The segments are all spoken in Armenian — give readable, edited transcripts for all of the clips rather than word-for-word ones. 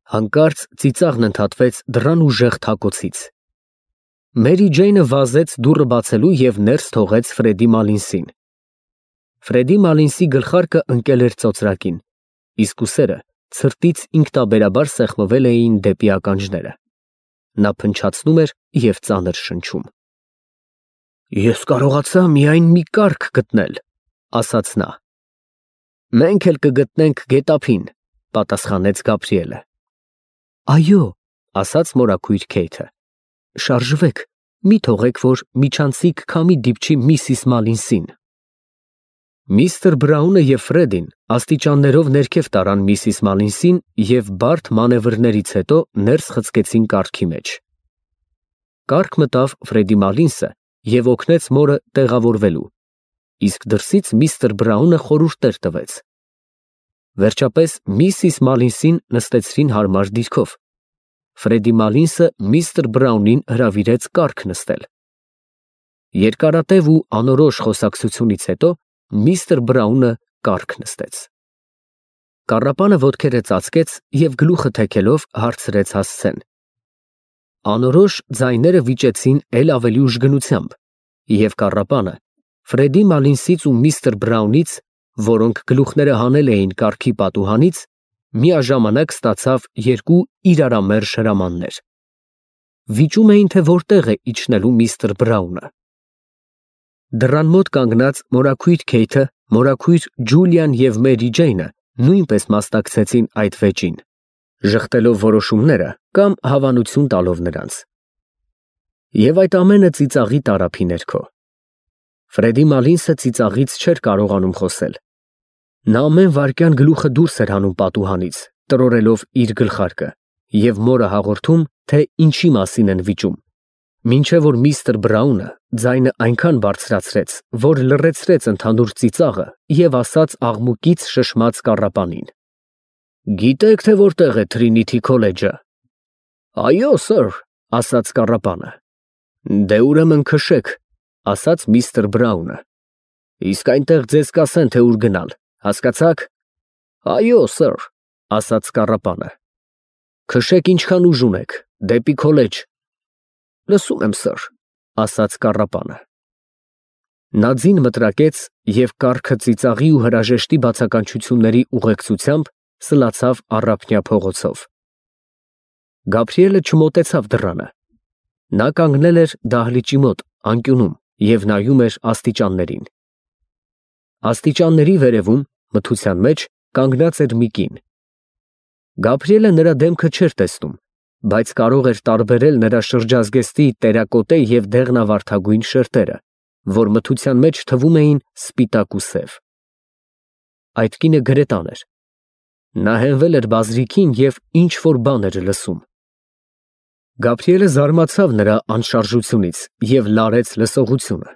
Հանկարծ ծիծաղն ընդհատվեց դռան ուժեղ թակոցից։ Մերի Ջեյնը վազեց դուռը բացելու և ներս թողեց Ֆրեդի Մալինսին։ Ֆրեդի Մալինսի գլխարկը ընկել էր ծոծրակին, իսկ ուսերը ցրտից ինքնաբերաբար սեղմվել էին դեպի ականջները։ Նա փնչացնում էր և ծանր շնչում։ Ես կարողացա միայն մի կառք գտնել, ասաց նա։ Մենք էլ կգտնենք գետափին, պատասխանեց Գաբրիելը։ Այո, ասաց մորաքույր Քեյթը։ Շարժվեք, մի թողեք, որ միջանցիկ քամի դիպչի միսիս Մալինսին։ Միստր Բրաունը և Ֆրեդին աստիճաններով ներքև տարան միսիս Մալինսին և բարդ մանևրներից հետո ներս խցկեցին կառքի մեջ։ Կառք մտավ Ֆրեդի Մալինսը և օգնեց մորը տեղավորվելու, իսկ դրսից միստր Բրաունը խորհուրդներ տվեց։ Վերջապես միսիս Մալինսին նստեցրին հարմար դիրքով։ Ֆրեդի Մալինսը միստր Բրաունին հրավիրեց կառք նստել։ Երկարատև ու անորոշ խոսակցությունից հետո միստր Բրաունը կառք նստեց։ Կառապանը ոտքերը ծածկեց և գլուխը թեքելով հարցրեց հասցեն։ Անորոշ ձայները վիճեցին էլ ավելի ուժգնությամբ, և կառապանը Ֆրեդի Մալինսից ու միստր Բրաունից, որոնք գլուխները հանել էին կառքի պատուհանից, միաժամանակ ստացավ երկու իրարամերժ հրամաններ։ Վիճում էին, թե որտեղ է իջնելու միստր Բրաունը։ Դռան մոտ կանգնած մորաքույր Քեյթը, մորաքույր Ջուլիան և Մերի Ջեյնը նույնպես մասնակցեցին այդ վեճին, ժխտելով որոշումները կամ հավանություն տալով նրանց։ Եվ այդ ամենը ծիծաղի տարափի ներքո։ Ֆրեդի Մալինսը ծիծաղից չէր կարողանում խոսել։ Նա ամեն վայրկյան գլուխը դուրս էր հանում պատուհանից, տրորելով իր գլխարկը, և մորը հաղորդում, թե ինչի մասին են վիճում, մինչև որ միստր Բրաունը ձայնը այնքան բարձրացրեց, որ լռեցրեց ընդհանուր ծիծաղը և ասաց աղմուկից շշմած կառապանին. Գիտե՞ք, թե որտեղ է Թրինիթի քոլեջը։ Այո, սըր, ասաց կառապանը։ Դե ուրեմն քշեք, ասաց միստր Բրաունը։ Իսկ այնտեղ ձեզ կասեն, թե ուր գնալ, հասկացա՞ք։ Այո, սըր, ասաց կառապանը։ Քշեք ինչքան ուժ ունեք, դեպի քոլեջ։ Լսում եմ, սըր, ասաց կառապանը։ Նա ձին մտրակեց և կառքը ծիծաղի ու հրաժեշտի բացականչությունների ուղեկցությամբ սլացավ առափնյա փողոցով։ Գաբրիելը չմոտեցավ դռանը։ Նա կանգնել էր դահլիճի մոտ, անկյունում և նայում էր աստիճաններին։ Աստիճանների վերևում, մթության մեջ, կանգնած էր մի կին։ Գաբրիելը նրա դեմքը չէր տեսնում, բայց կարող էր տարբերել նրա շրջազգեստի տերակոտե և դեղնավարդագույն շերտերը, որ մթության մեջ թվում էին սպիտակ ու սև։ Այդ կինը գրետան էր։ Նա հենվել էր բազրիքին և ինչ֊որ բան էր լսում։ Գաբրիելը զարմացավ նրա անշարժությունից և լարեց լսողությունը։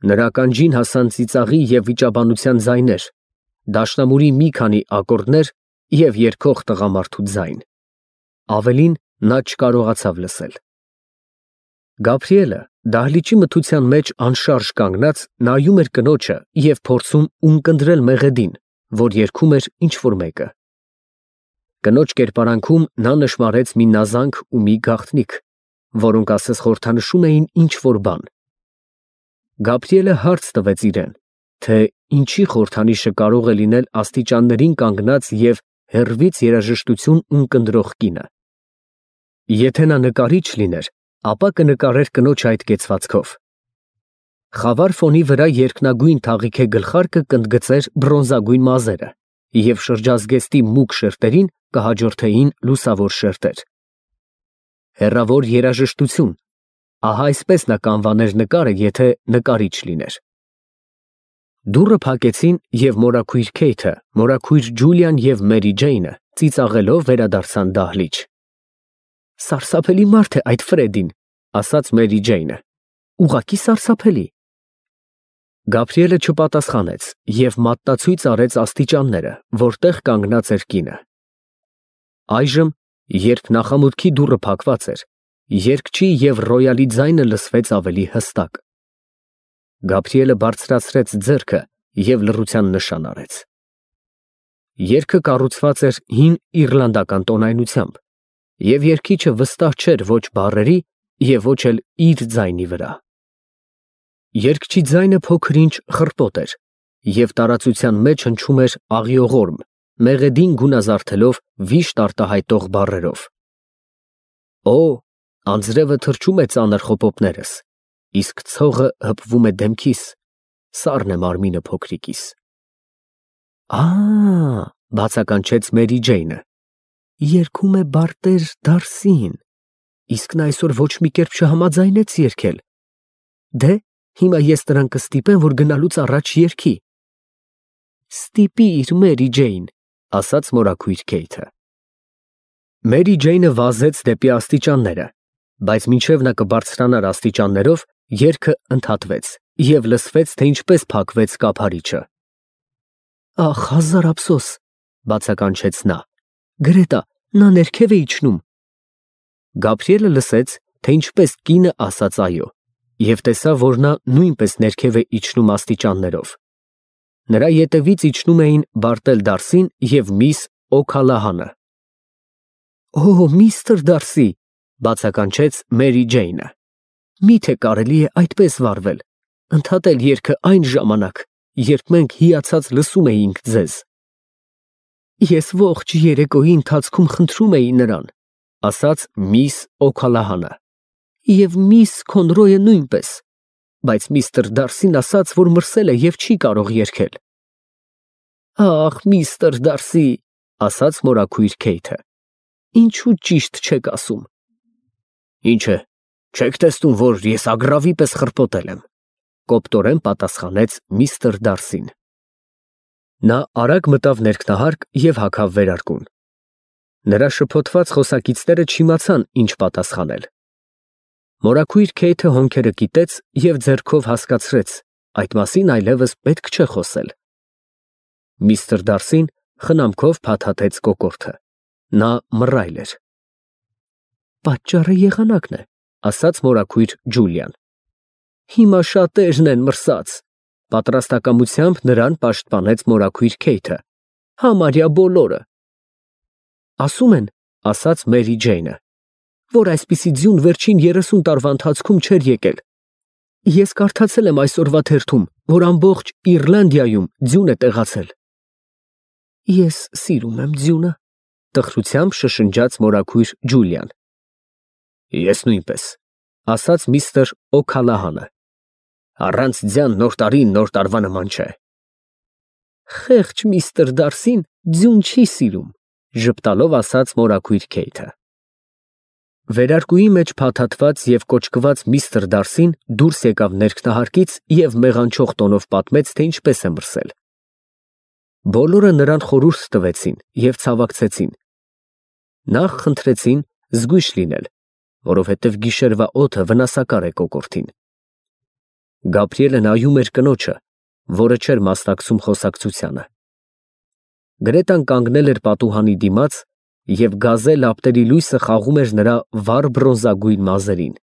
Նրա ականջին հասան ծիծաղի և վիճաբանության ձայներ, դաշնամուրի մի քանի ակորդներ և երգող տղամարդու ձայն։ Ավելին նա չկարողացավ լսել։ Գաբրիելը դահլիճի մթության մեջ անշարժ կանգնած նայում էր կնոջը և փորձում ունկնդրել մեղեդին, որ երգում էր ինչ֊որ մեկը։ Կնոջ կերպարանքում նա նշմարեց մի նազանք ու մի գաղտնիք, որոնք ասես խորհրդանշում էին ինչ֊որ բան։ Գաբրիելը հարց տվեց իրեն, թե ինչի խորհրդանիշը կարող է լինել աստիճաններին կանգնած և հեռվից երաժշտություն ունկնդրող կինը։ Եթե նա նկարիչ լիներ, ապա կնկարեր կնոջ այդ կեցվածքով։ Խավար ֆոնի վրա երկնագույն թաղիքե գլխարկը կընդգծեր բրոնզագույն մազերը, և շրջազգեստի մուգ շերտերին կհաջորդեին լուսավոր շերտեր։ Հեռավոր երաժշտություն, ահա այսպես նա կանվաներ նկարը, եթե նկարիչ լիներ։ Դուռը փակեցին, և մորաքույր Քեյթը, մորաքույր Ջուլիան և Մերի Ջեյնը ծիծաղելով վերադարձան դահլիճ։ Սարսափելի մարդ է այդ Ֆրեդին, ասաց Մերի Ջեյնը։ Ուղղակի սարսափելի։ Գաբրիելը չպատասխանեց և մատնացույց արեց աստիճանները, որտեղ կանգնած էր կինը։ Այժմ, երբ նախամուտքի դուռը փակված էր, երգչի և ռոյալի ձայնը լսվեց ավելի հստակ։ Գաբրիելը բարձրացրեց ձեռքը և լռության նշան արեց։ Երգը կառուցված էր հին իռլանդական տոնայնությամբ, և երգիչը վստահ չէր ոչ բառերի և ոչ էլ իր ձայնի վրա։ Երգչի ձայնը փոքր-ինչ խռպոտ էր և տարածության մեջ հնչում էր աղիողորմ, մեղեդին գունազարդելով վիշտ արտահայտող բառերով. «Օ, անձրևը թրջում է ծանր խոպոպներս, իսկ ցողը հպվում է դեմքիս, սառն է մարմինը փոքրիկիս»։ Բացականչեց Մերի Ջեյնը, երգում է բարտեր Դարսին, իսկ նա այսօր ոչ մի կերպ չհամաձայնեց երգել։ Դե, հիմա ես նրան կստիպեմ, որ գնալուց առաջ երգի։ Ստիպիր, Մերի Ջեյն, ասաց մորաքույր Քեյթը։ Մերի Ջեյնը վազեց դեպի աստիճանները, բայց մինչև նա կբարձրանար աստիճաններով, երգը ընդհատվեց և լսվեց, թե ինչպես փակվեց կափարիչը։ Ախ, հազար ափսոս, բացականչեց նա, Գրետա, նա ներքև է իջնում։ Գաբրիելը լսեց, թե ինչպես կինը ասաց այո, և տեսավ, որ նա նույնպես ներքև է իջնում աստիճաններով։ Նրա ետևից իջնում էին Բարտել Դարսին և միս Օ'Քալահանը։ Օ, միստր Դարսի, բացականչեց Մերի Ջեյնը, միթե կարելի է այդպես վարվել, ընդհատել երգը այն ժամանակ, երբ մենք հիացած լսում էինք ձեզ։ Ես ողջ երեկոյի ընթացքում խնդրում էի նրան, ասաց միս Օ'Քալահանը, և միս Քոնրոյը նույնպես, բայց միստր Դարսին ասաց, որ մրսել է և չի կարող երգել։ Ախ, միստր Դարսի, ասաց մորաքույր Քեյթը, ինչու ճիշտ չեք ասում։ Ինչ է, չեք տեսնում, որ ես ագռավի պես խռպոտել եմ, կոպտորեն պատասխանեց միստր Դարսին։ Նա արագ մտավ ներքնահարկ և հագավ վերարկուն։ Նրա շփոթված խոսակիցները չիմացան, ինչ պատասխանել։ Մորաքույր Քեյթը հոնքերը կիտեց և ձեռքով հասկացրեց, այդ մասին այլևս պետք չէ խոսել։ Միստր Դարսին խնամքով փաթաթեց կոկորդը։ Նա մռայլ էր։ Պատճառը եղանակն է, ասաց մորաքույր Ջուլիան։ Հիմա շատերն են մրսած, պատրաստակամությամբ նրան պաշտպանեց մորաքույր Քեյթը, համարյա բոլորը։ Ասում են, ասաց Մերի Ջեյնը, որ այսպիսի ձյուն վերջին 30 տարվա ընթացքում չէր եկել։ Ես կարդացել եմ այսօրվա թերթում, որ ամբողջ Իռլանդիայում ձյուն է տեղացել։ Ես սիրում եմ ձյունը, տխրությամբ շշնջաց մորաքույր Ջուլիան։ Ես նույնպես, ասաց միստր Օ'Քալահանը։ Առանց ձյան նոր տարին նոր տարվա նման չէ։ Խեղճ միստր Դարսին ձյուն չի սիրում, ժպտալով ասաց մորաքույր Քեյթը։ Վերարկուի մեջ փաթաթված և կոճկված միստր Դարսին դուրս եկավ ներքնահարկից և մեղանչող տոնով պատմեց, թե ինչպես է մրսել։ Բոլորը նրան խորհուրդ տվեցին և ցավակցեցին։ Նախ խնդրեցին զգույշ լինել, որովհետև գիշերվա օդը վնասակար է կոկորդին։ Գաբրիելը նայում էր կնոջը, որը չէր մասնակցում խոսակցությանը։ Գրետան կանգնել էր պատուհանի դիմաց և գազե լապտերի լույսը խաղում էր նրա վառ բրոնզագույն մազերին։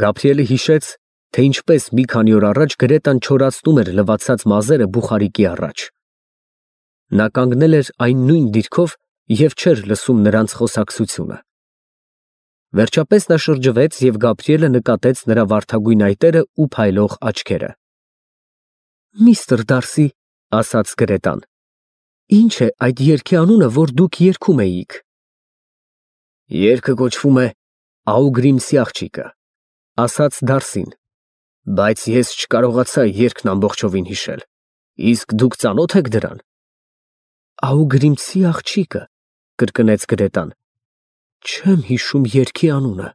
Գաբրիելը հիշեց, թե ինչպես մի քանի օր առաջ Գրետան չորացնում էր լվացած մազերը բուխարիկի առաջ։ Նա կանգնել էր այն նույն դիրքով և չէր լսում նրանց խոսակցությունը։ Վերջապես նա շրջվեց և Գաբրիելը նկատեց նրա վարդագույն այտերը ու փայլող աչքերը։ Միստր Դարսի, ասաց Գրետան, ինչ է այդ երգի անունը, որ դուք երգում էիք։ Երգը կոչվում է Աուգրիմսի աղջիկը, ասաց Դարսին, բայց ես չկարողացա երգն ամբողջովին հիշել, իսկ դուք ծանո՞թ եք դրան։ Աուգրիմսի աղջիկը, կրկնեց Գրետան, չեմ հիշում երգի անունը։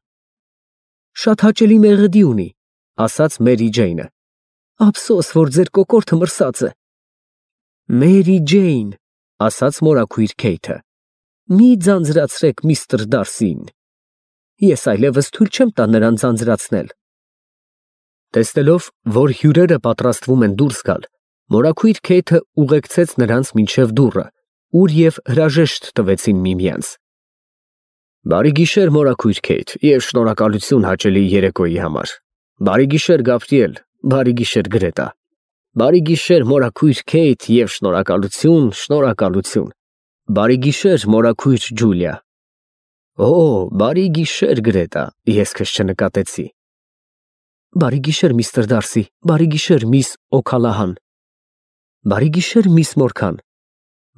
Շատ հաճելի մեղեդի ունի, ասաց Մերի Ջեյնը։ Ափսոս, որ ձեր կոկորդը մրսած է։ Մերի Ջեյն, ասաց մորաքույր Քեյթը, մի ձանձրացրեք միստր Դարսիին։ Ես այլևս թույլ չեմ տա նրան ձանձրացնել։ Տեսնելով, որ հյուրերը պատրաստվում են դուրս գալ, մորաքույր Քեյթը ուղեկցեց նրանց մինչև դուռը, ուր և հրաժեշտ տվեցին միմյանց։ Բարի գիշեր, մորաքույր Քեյթ, և շնորհակալություն հաճելի երեկոյի համար։ Բարի գիշեր, Գաբրիել, բարի գիշեր, Գրետա։ Բարի գիշեր, մորաքույր Քեյթ, եւ շնորհակալություն, շնորհակալություն։ Բարի գիշեր, մորաքույր Ջուլիա։ Օ, բարի գիշեր, Գրետա, ես քեզ չնկատեցի։ Բարի գիշեր, միստր Դարսի, բարի գիշեր, միս Օքալահան։ Բարի գիշեր, միս Մորքան։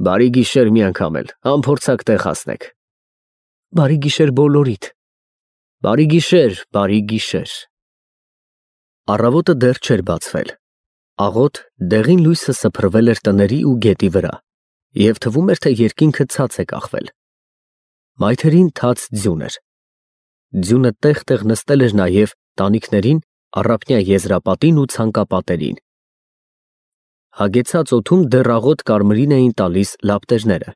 Բարի գիշեր մի անգամ էլ, անփորձակ տեղ հասնեք։ Բարի գիշեր բոլորիդ։ Բարի գիշեր, բարի գիշեր։ Առավոտը դեռ չէր բացվել։ Աղոտ դեղին լույսը սփռվել էր տների ու գետի վրա, և թվում էր, թե երկինքը ցած է կախվել։ Մայթերին թաց ձյուն էր։ Ձյունը տեղ-տեղ նստել էր նաև տանիքներին, առափնյա եզրապատին ու ցանկապատերին։ Հագեցած օդում դեռ աղոտ կարմրին էին տալիս լապտերները,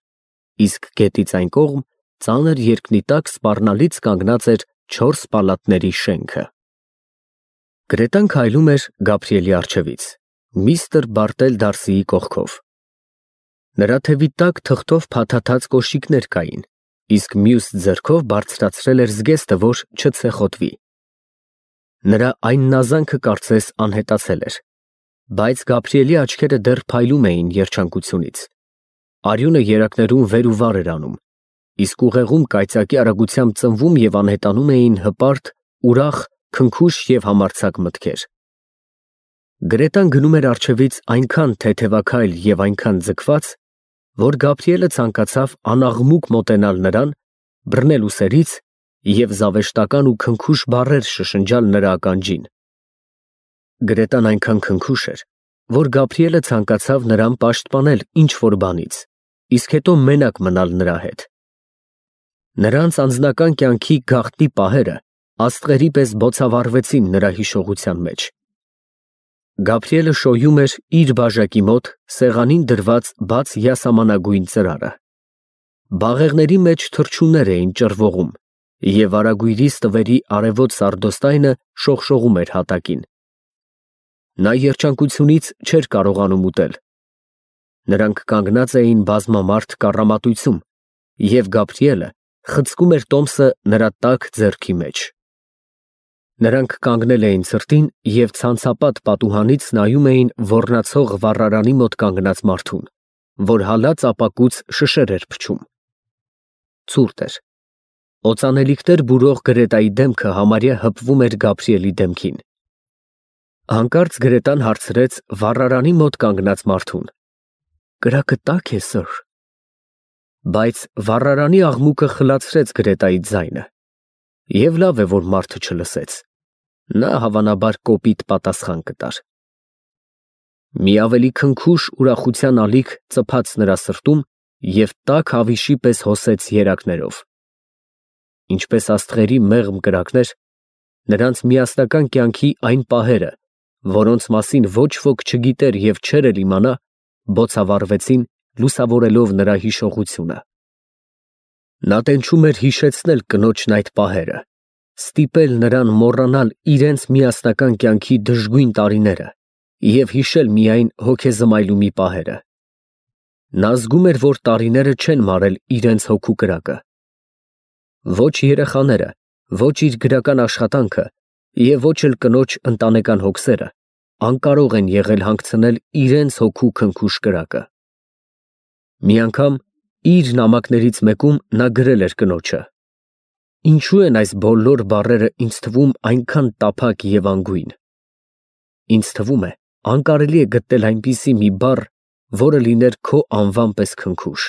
իսկ գետից այն կողմ ծանր երկնի տակ սպառնալից կանգնած էր 4 պալատների շենքը։ Գրետան քայլում էր Գաբրիելի առջևից, միստր Բարտել Դարսիի կողքով։ Նրա թևի տակ թղթով փաթաթած կոշիկներ կային, իսկ մյուս ձեռքով բարձրացրել էր զգեստը, որ չցեխոտվի։ Նրա այն նազանքը կարծես անհետացել էր, բայց Գաբրիելի աչքերը դեռ փայլում էին երջանկությունից։ Արյունը երակներում վեր ու վար էր անում, իսկ ուղեղում կայծակի արագությամբ ծնվում և անհետանում էին հպարտ, ուրախ, քնքուշ և համարձակ մտքեր։ Գրետան գնում էր առջևից այնքան թեթևաքայլ և այնքան ձգված, որ Գաբրիելը ցանկացավ անաղմուկ մոտենալ նրան, բռնել ուսերից և զավեշտական ու քնքուշ բառեր շշնջալ նրա ականջին։ Գրետան այնքան քնքուշ էր, որ Գաբրիելը ցանկացավ նրան պաշտպանել ինչ-որ բանից, իսկ հետո մենակ մնալ նրա հետ։ Նրանց անձնական կյանքի գաղտնի պահերը աստղերի պես բոցավառվեցին նրա հիշողության մեջ։ Գաբրիելը շոյում էր իր բաժակի մոտ սեղանին դրված բաց յասամանագույն ծրարը։ Բաղեղների մեջ թռչուններ էին ճռվողում, և արագույրի ստվերի արևոտ սարդոստայնը շողշողում էր հատակին։ Նա երջանկությունից չէր կարողանում ուտել։ Նրանք կանգնած էին բազմամարդ կառամատույցում, և Գաբրիելը խցկում էր տոմսը նրա տաք ձեռքի մեջ։ Նրանք կանգնել էին ցրտին և ցանցապատ պատուհանից նայում էին ոռնացող վառարանի մոտ կանգնած մարդուն, որ հալած ապակուց շշեր էր փչում։ Ցուրտ էր։ Օծանելիքներ բուրող Գրետայի դեմքը համարյա հպվում էր Գաբրիելի դեմքին։ Հանկարծ Գրետան հարցրեց վառարանի մոտ կանգնած մարդուն. «Կրակը տա՞ք է, սըր»։ Բայց վառարանի աղմուկը խլացրեց Գրետայի ձայնը։ Եվ լավ է, որ մարդը չլսեց։ Նա հավանաբար կոպիտ պատասխան կտար։ Մի ավելի քնքուշ ուրախության ալիք ծփաց նրա սրտում և տաք հավիշի պես հոսեց երակներով։ Ինչպես աստղերի մեղմ կրակներ, նրանց միասնական կյանքի այն պահերը, որոնց մասին ոչ ոք չգիտեր և չէր էլ իմանա, բոցավառվեցին, լուսավորելով նրա հիշողությունը։ Նա տենչում էր հիշեցնել կնոջն այդ պահերը, ստիպել նրան մոռանալ իրենց միասնական կյանքի դժգույն տարիները և հիշել միայն հոգեզմայլումի պահերը։ Նա զգում էր, որ տարիները չեն մարել իրենց հոգու կրակը։ Ոչ երեխաները, ոչ իր գրական աշխատանքը և ոչ էլ կնոջ ընտանեկան հոգսերը անկարող են եղել հանգցնել իրենց հոգու քնքուշ կրակը։ Մի անգամ իր նամակներից մեկում նա գրել էր կնոջը. «Ինչու են այս բոլոր բառերը ինձ թվում այնքան տափակ և անգույն։ Ինձ թվում է, անկարելի է գտնել այնպիսի մի բառ, որը լիներ քո անվան պես քնքուշ»։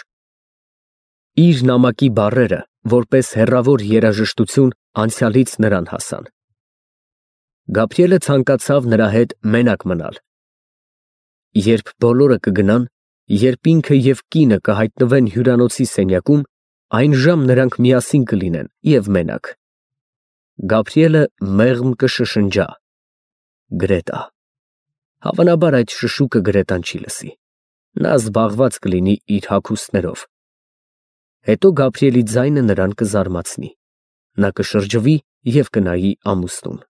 Իր նամակի բառերը, որպես հեռավոր երաժշտություն, անցյալից նրան հասան։ Գաբրիելը ցանկացավ նրա հետ մենակ մնալ։ Երբ բոլորը կգնան, երբ ինքը և կինը կհայտնվեն հյուրանոցի սենյակում, այն ժամ նրանք միասին կլինեն և մենակ։ Գաբրիելը մեղմ կշշնջա. «Գրետա»։ Հավանաբար այդ շշուկը Գրետան չի լսի։ Նա զբաղված կլինի իր հագուստներով։ Հետո Գաբրիելի ձայնը նրան կզարմացնի։ Նա կշրջվի և կնայի ամուսնուն։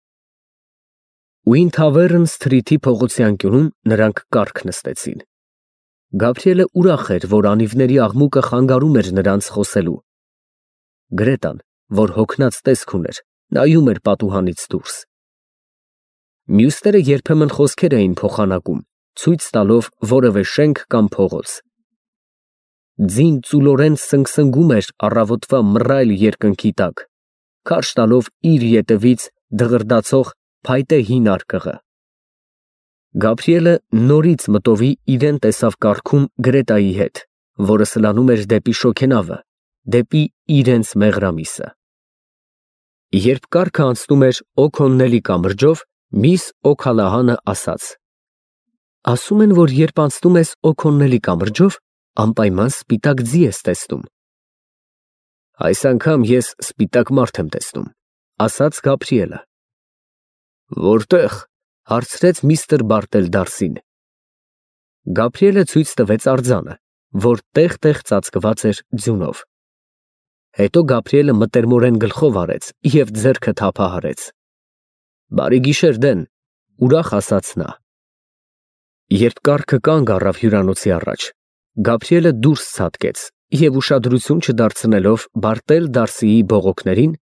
Ուին Թավեռն Սթրիթի փողոցի անկյունում նրանք կառք նստեցին։ Գաբրիելը ուրախ էր, որ անիվների աղմուկը խանգարում էր նրանց խոսելու։ Գրետան, որ հոգնած տեսք ուներ, նայում էր պատուհանից դուրս։ Մյուսները երբեմն խոսքեր էին փոխանակում, ցույց տալով որևէ շենք կամ փողոց։ Ձին ծուլորեն սնգսնգում էր առավոտվա մռայլ երկնքի տակ, քարշ տալով իր ետևից դղրդացող փայտե հին արկղը։ Գաբրիելը նորից մտովի իրեն տեսավ կառքում Գրետայի հետ, որը սլանում էր դեպի շոգենավը, դեպի իրենց մեղրամիսը։ Երբ կառքը անցնում էր Օքոննելի կամրջով, միս Օքալահանը ասաց. ասում են, որ երբ անցնում ես Օքոննելի կամրջով, անպայման սպիտակ ձի ես տեսնում։ Այս անգամ ես սպիտակ մարդ եմ տեսնում, ասաց Գաբրիելը։ Որտե՞ղ, հարցրեց միստր Բարտելդարսին։ Գաբրիելը ցույց տվեց արձանը, որ տեղ-տեղ ծածկված էր ձյունով։ Հետո Գաբրիելը մտերմորեն գլխով արեց և ձեռքը թափահարեց։ Բարի գիշեր, Դեն, ուրախ ասաց նա։ Երբ կառքը կանգ առավ հյուրանոցի առաջ, Գաբրիելը դուրս ցատկեց և ուշադրություն չդարձնելով Բարտելդարսիի բողոքներին,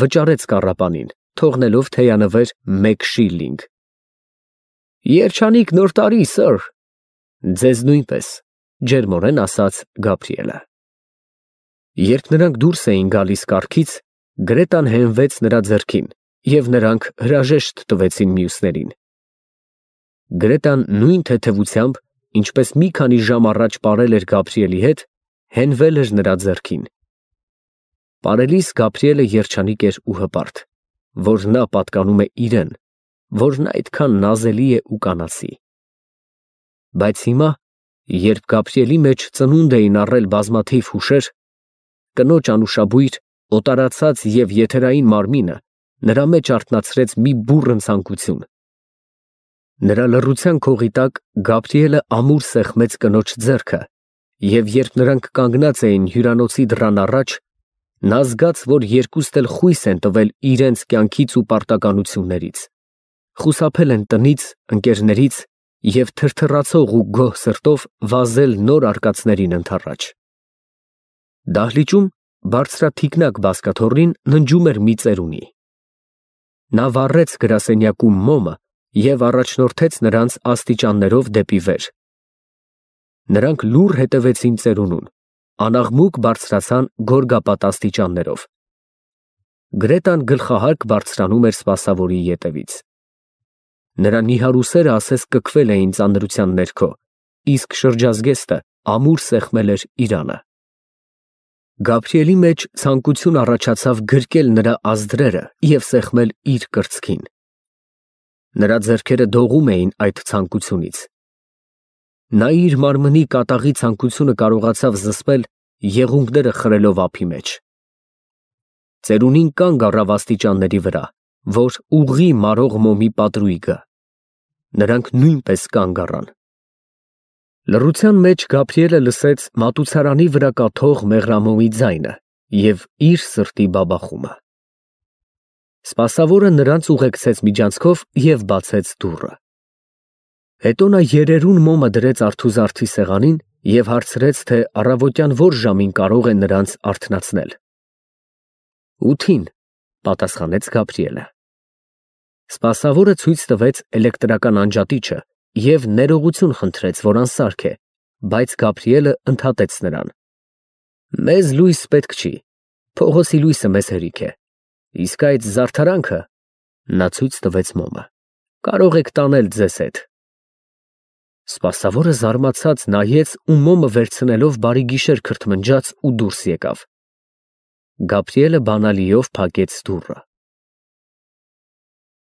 վճարեց կառապանին, թողնելով թեյանվեր 1 շիլլինգ։ Երջանիկ նոր տարի, սըր։ Ձեզ նույնպես, ջերմորեն ասաց Գաբրիելը։ Երբ նրանք դուրս էին գալիս կառքից, Գրետան հենվեց նրա ձեռքին, և նրանք հրաժեշտ տվեցին մյուսներին։ Գրետան նույն թեթևությամբ, ինչպես մի քանի ժամ առաջ պարել էր Գաբրիելի հետ, հենվել էր նրա ձեռքին։ Պարելիս Գաբրիելը երջանիկ էր ու հպարտ, որ նա պատկանում է իրեն, որ նա այդքան նազելի է ու կանացի։ Բայց հիմա, երբ Գաբրիելի մեջ ծնունդ էին առել բազմաթիվ հուշեր, կնոջ անուշաբույր, օտարացած և եթերային մարմինը նրա մեջ արթնացրեց մի բուռն ցանկություն։ Նրա լռության քողի տակ Գաբրիելը ամուր սեղմեց կնոջ ձեռքը, և երբ նրանք կանգնած էին հյուրանոցի դռան առաջ, նա զգաց, որ երկուստ էլ խույս են տվել իրենց կյանքից ու պարտականություններից, խուսափել են տնից, ընկերներից և թրթռացող ու գոհ սրտով վազել նոր արկածներին ընդառաջ։ Դահլիճում բարձրաթիկնակ բազկաթոռին ննջում էր մի ծերունի։ Նա վառեց գրասենյակում մոմը և առաջնորդեց նրանց աստիճաններով դեպի վեր։ Նրանք լուռ հետևեցին ծերունուն, անաղմուկ բարձրացան գորգապատ աստիճաններով։ Գրետան գլխահարկ բարձրանում էր սպասավորի ետևից։ Նրա նիհարուսերը ասես կքվել էին ծանրության ներքո, իսկ շրջազգեստը ամուր սեղմել էր իրանը։ Գաբրիելի մեջ ցանկություն առաջացավ գրկել նրա ազդրերը և սեղմել իր կրծքին։ Նրա ձեռքերը դողում էին այդ ցանկությունից։ Նա իր մարմնի կատաղի ցանկությունը կարողացավ զսպել եղունգները խրելով ափի մեջ։ Ծերունին կանգ առավ աստիճանների վրա, որ ուղղի մարող մոմի պատրույգը։ Նրանք նույնպես կանգ առան։ Լռության մեջ Գաբրիելը լսեց մատուցարանի վրա կաթող մեղրամոմի ձայնը և իր սրտի բաբախումը։ Սպասավորը նրանց ուղեկցեց միջանցքով և բացեց դուռը։ Հետո նա երերուն մոմը դրեց արթուզարդի սեղանին և հարցրեց, թե առավոտյան որ ժամին կարող է նրանց արթնացնել։ 8-ին, պատասխանեց Գաբրիելը։ Սպասավորը ցույց տվեց էլեկտրական անջատիչը և ներողություն խնդրեց, որ անսարք է, բայց Գաբրիելը ընդհատեց նրան։ Մեզ լույս պետք չի, փողոցի լույսը մեզ հերիք է, իսկ այդ զարդարանքը, նա ցույց տվեց մոմը, կարող եք տանել ձեզ հետ։ Սպասավորը զարմացած նայեց ու մոմը վերցնելով բարի գիշեր քրթմնջաց ու դուրս եկավ։ Գաբրիելը բանալիով փակեց դուռը։